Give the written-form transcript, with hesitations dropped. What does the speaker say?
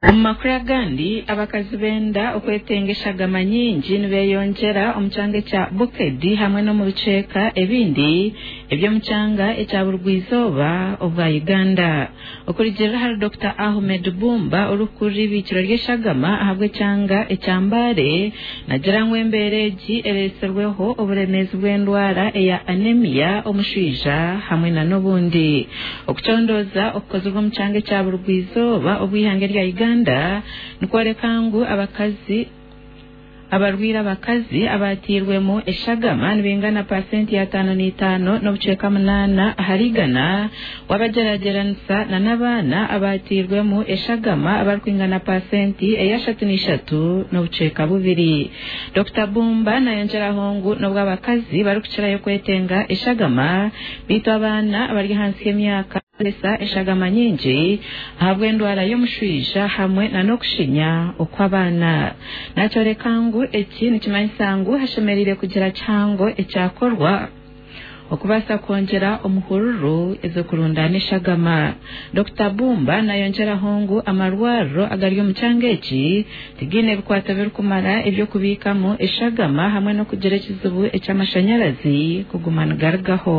Omu makuru agandi, abakazi benda okwetenga eshagama nyingi nibeyongyera omu kyanga ekya Bukedi hamwe n'omu bicweka ebindi eby'omu kyanga ekya burugwa-izooba obwa Uganda. Okurugiirira ahari Dokita Ahmed Bumba orikukurira eibiikiro ry'eshagama ahabw'ekyanga ekya Mbale, nagira ngu embeera egi eretsirweho oburemeezi bw'endwara eya anemia, omushwija hamwe n'obundi. Okucondooza okukozirwe omu kyanga ekya burugwa-izooba obw'eihanga erya Uganda nikworeka ngu abakazi abarwaire abakazi abateirwemu eshagama nibaingana pasenti ya 55 n'obucweka 8 ahari igana wabagyeragyeranisa na n'abaana abateirwemu eshagama abarikwingana pasenti eya 33 n'obucweka 2. Dokita Bumba nayongyeraho ngu n'obu abakazi barikukirayo kwetenga eshagama, beitu abaana abari ahansi y'emyaka Kozesa eshagama nyingi ahabw'endwara y'omushwija hamwe na n'okushinya okw'abaana. Nakyoreka ngu eki nikimanyisa ngu hashemereire kugira kihango ekyakorwa okubaasa kwongyera omuhururu ez'okurundaana eshagama. Dokita Bumba nayongyeraho ngu amarwariro agari omu kyanga eki tigaine bikwato birikumara eby'okubiikamu eshagama hamwe n'okugira ekizibu eky'amashanyarazi kuguma nigarugaho.